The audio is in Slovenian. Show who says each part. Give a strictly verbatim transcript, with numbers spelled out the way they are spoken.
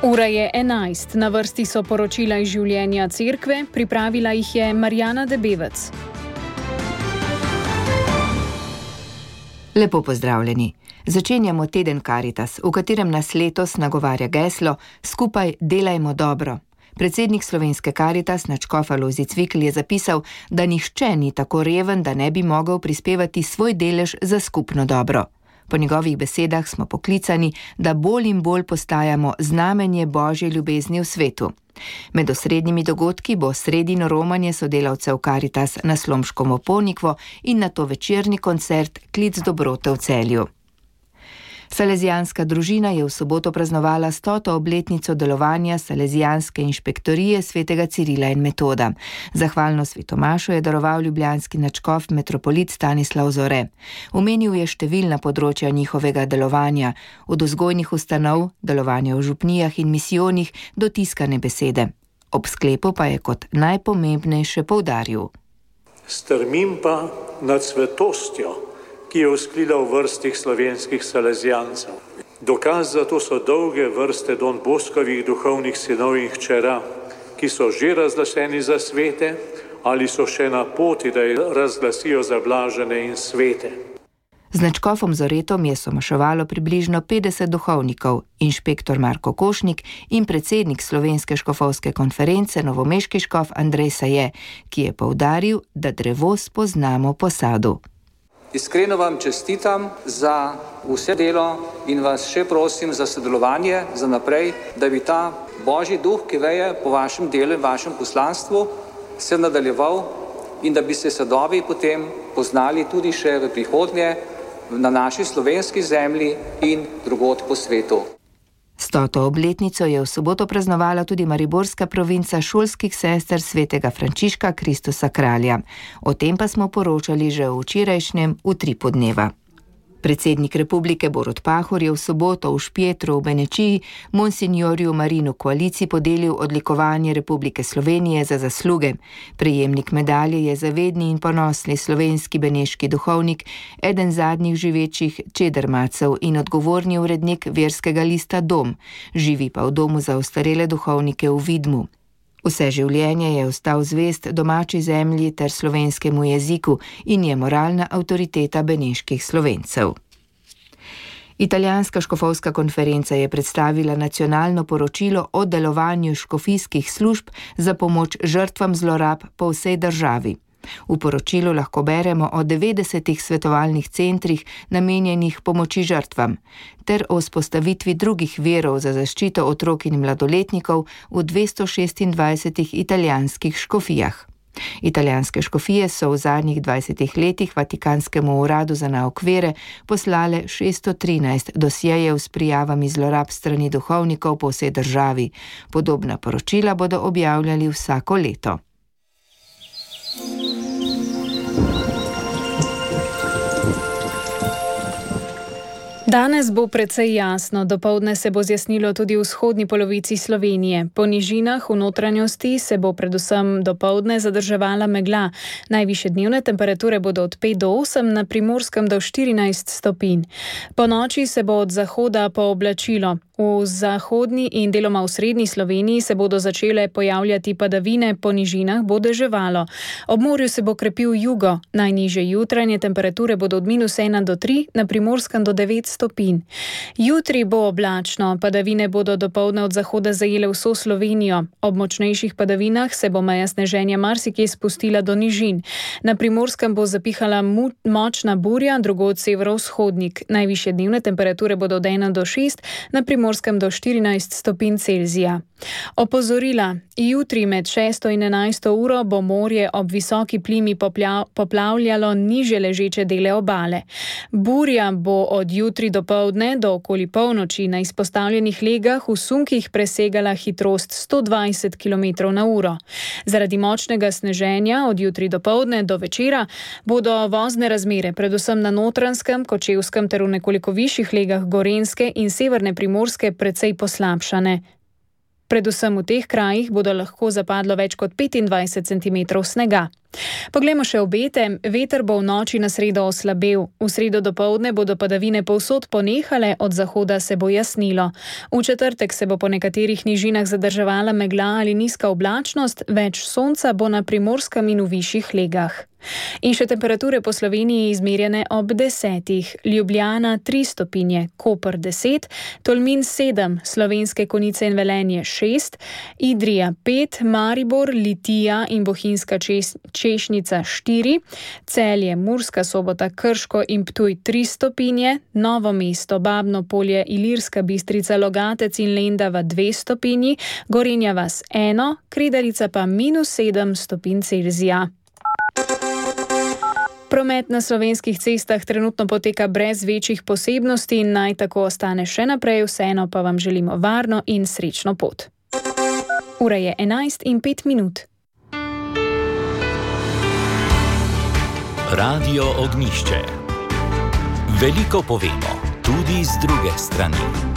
Speaker 1: Ura je enajst, na vrsti so poročila iz življenja cerkve, pripravila jih je Marjana Debevec.
Speaker 2: Lepo pozdravljeni. Začenjamo teden Karitas, v katerem nas letos nagovarja geslo Skupaj delajmo dobro. Predsednik slovenske Karitas, nadškof Alojzij Cvikl, je zapisal, da nihče ni tako reven, da ne bi mogel prispevati svoj delež za skupno dobro. Po njegovih besedah smo poklicani, da bolj in bolj postajamo znamenje Božje ljubezni v svetu. Med osrednjimi dogodki bo sredino romanje sodelavcev Karitas na Slomškovo Ponikvo in nato večerni koncert Klic dobrote v Celju. Salezijanska družina je v soboto praznovala stoto obletnico delovanja Salezijanske inšpektorije svetega Cirila in Metoda. Zahvalno svetomašo je daroval ljubljanski nadškof metropolit Stanislav Zore. Omenil je številna področja njihovega delovanja, od vzgojnih ustanov, delovanja v župnijah in misijonih do tiskane besede. Ob sklepu pa je kot najpomembnejše poudaril:
Speaker 3: Strmim pa nad svetostjo, ki je vzklila v vrstih slovenskih salezijancev. Dokaz za to so dolge vrste Don Boskovih duhovnih sinov in hčera, ki so že razglašeni za svete ali so še na poti, da jih razglasijo za blažene in svete.
Speaker 2: Z nadškofom Zoretom je somaševalo približno petdeset duhovnikov, inšpektor Marko Košnik in predsednik Slovenske škofovske konference novomeški škof Andrej Saje, ki je poudaril, da drevo spoznamo po sadu.
Speaker 4: Iskreno vam čestitam za vse delo in vas še prosim za sodelovanje za naprej, da bi ta Božji duh, ki veje po vašem delu in vašem poslanstvu, se nadaljeval in da bi se sadovi potem poznali tudi še v prihodnje na naši slovenski zemlji in drugod po svetu.
Speaker 2: Stoto obletnico je v soboto praznovala tudi mariborska provinca šolskih sester svetega Frančiška Kristusa Kralja. O tem pa smo poročali že v včerajšnjem utripu dneva. Predsednik republike Borut Pahor je v soboto v Špjetru v Benečiji monsinjorju Marinu Koaliciji podelil odlikovanje Republike Slovenije za zasluge. Prejemnik medalje je zavedni in ponosni slovenski beneški duhovnik, eden zadnjih živečih čedermacev in odgovorni urednik verskega lista Dom, živi pa v domu za ostarele duhovnike v Vidmu. Vse življenje je ostal zvest domači zemlji ter slovenskemu jeziku in je moralna avtoriteta beneških Slovencev. Italijanska škofovska konferenca je predstavila nacionalno poročilo o delovanju škofijskih služb za pomoč žrtvam zlorab po vsej državi. V poročilu lahko beremo o devetdesetih svetovalnih centrih namenjenih pomoči žrtvam ter o vzpostavitvi drugih virov za zaščito otrok in mladoletnikov v dvesto šestindvajsetih italijanskih škofijah. Italijanske škofije so v zadnjih dvajsetih letih Vatikanskemu uradu za naukvere poslale šeststo trinajst dosjejev s prijavami zlorab strani duhovnikov po vsej državi. Podobna poročila bodo objavljali vsako leto.
Speaker 1: Danes bo precej jasno, dopoldne se bo zjasnilo tudi v vzhodni polovici Slovenije. Po nižinah v notranjosti se bo predvsem dopoldne zadrževala megla. Najvišje dnevne temperature bodo od pet do osem, na Primorskem do štirinajst stopinj. Po noči se bo od zahoda pooblačilo. V zahodni in deloma v srednji Sloveniji se bodo začele pojavljati padavine, po nižinah bo deževalo. Ob morju se bo krepil jugo. Najnižje jutranje temperature bodo od minus ena do tri, na Primorskem do devet stopinj. Jutri bo oblačno, padavine bodo dopoldne od zahoda zajele vso Slovenijo. Ob močnejših padavinah se bo meja sneženja marsikje spustila do nižin. Na Primorskem bo zapihala mu- močna burja, drugod severovzhodnik. Najvišje dnevne temperature bodo od ena do šest, na Primorskem do štirinajst stopinj Celzija. Opozorila. Jutri med šesto in enajsto uro bo morje ob visoki plimi popla- poplavljalo niže ležeče dele obale. Burja bo od jutri do poldne do okoli polnoči na izpostavljenih legah v sunkih presegala hitrost sto dvajset kilometrov na uro. Zaradi močnega sneženja od jutri do poldne do večera bodo vozne razmere predvsem na Notranjskem, Kočevskem ter v nekoliko višjih legah Gorenjske in severne Primorske precej poslabšane. Predvsem v teh krajih bodo lahko zapadlo več kot petindvajset centimetrov snega. Poglejmo še obete. Veter bo v noči na sredo oslabel. V sredo dopoldne bodo padavine povsod ponehale, od zahoda se bo jasnilo. V četrtek se bo po nekaterih nižinah zadrževala megla ali nizka oblačnost, več sonca bo na Primorskem in v višjih legah. In še temperature po Sloveniji izmerjene ob desetih. Ljubljana tri stopinje, Koper deset, Tolmin sedem, Slovenske Konjice in Velenje šest, Idrija pet, Maribor, Litija in Bohinjska Čes- Češnica štiri, Celje, Murska Sobota, Krško in Ptuj tri stopinje, Novo mesto, Babno Polje, Ilirska Bistrica, Logatec in Lendava dve stopinji, Gorenja vas eno, Kredarica pa minus sedem stopinj Celzija. Promet na slovenskih cestah trenutno poteka brez večjih posebnosti in naj tako ostane še naprej, vseeno pa vam želimo varno in srečno pot. Ura je enajst in pet minut.
Speaker 5: Radio Ognjišče. Veliko povemo, tudi z druge strani.